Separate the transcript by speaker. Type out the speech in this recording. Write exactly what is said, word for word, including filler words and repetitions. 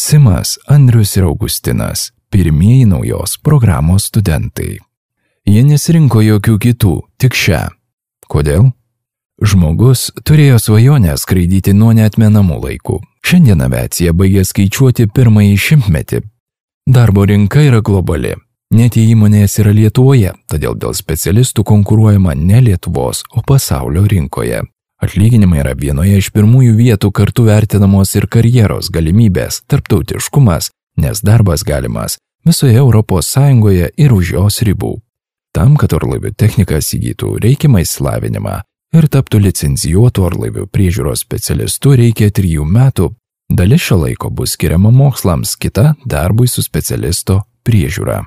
Speaker 1: Simas, Andrius ir Augustinas – pirmieji naujos programos studentai. Jie nesirinko jokių kitų, tik šią. Kodėl? Žmogus turėjo svajonę skraidyti nuo neatmenamų laikų. Šiandien aviacija baigė skaičiuoti pirmąjį šimtmetį. Darbo rinka yra globali. Net jei įmonės yra Lietuvoje, todėl dėl specialistų konkuruojama ne Lietuvos, o pasaulio rinkoje. Atlyginimai yra vienoje iš pirmųjų vietų, kartu vertinamos ir karjeros galimybės, tarptautiškumas, nes darbas galimas visoje Europos Sąjungoje ir už jos ribų. Tam, kad orlaivių technikas įgytų reikiamą išsilavinimą ir taptų licencijuotų orlaivių priežiūros specialistų, reikia trijų metų. Dalis šio laiko bus skiriama mokslams, kita darbui su specialisto priežiūra.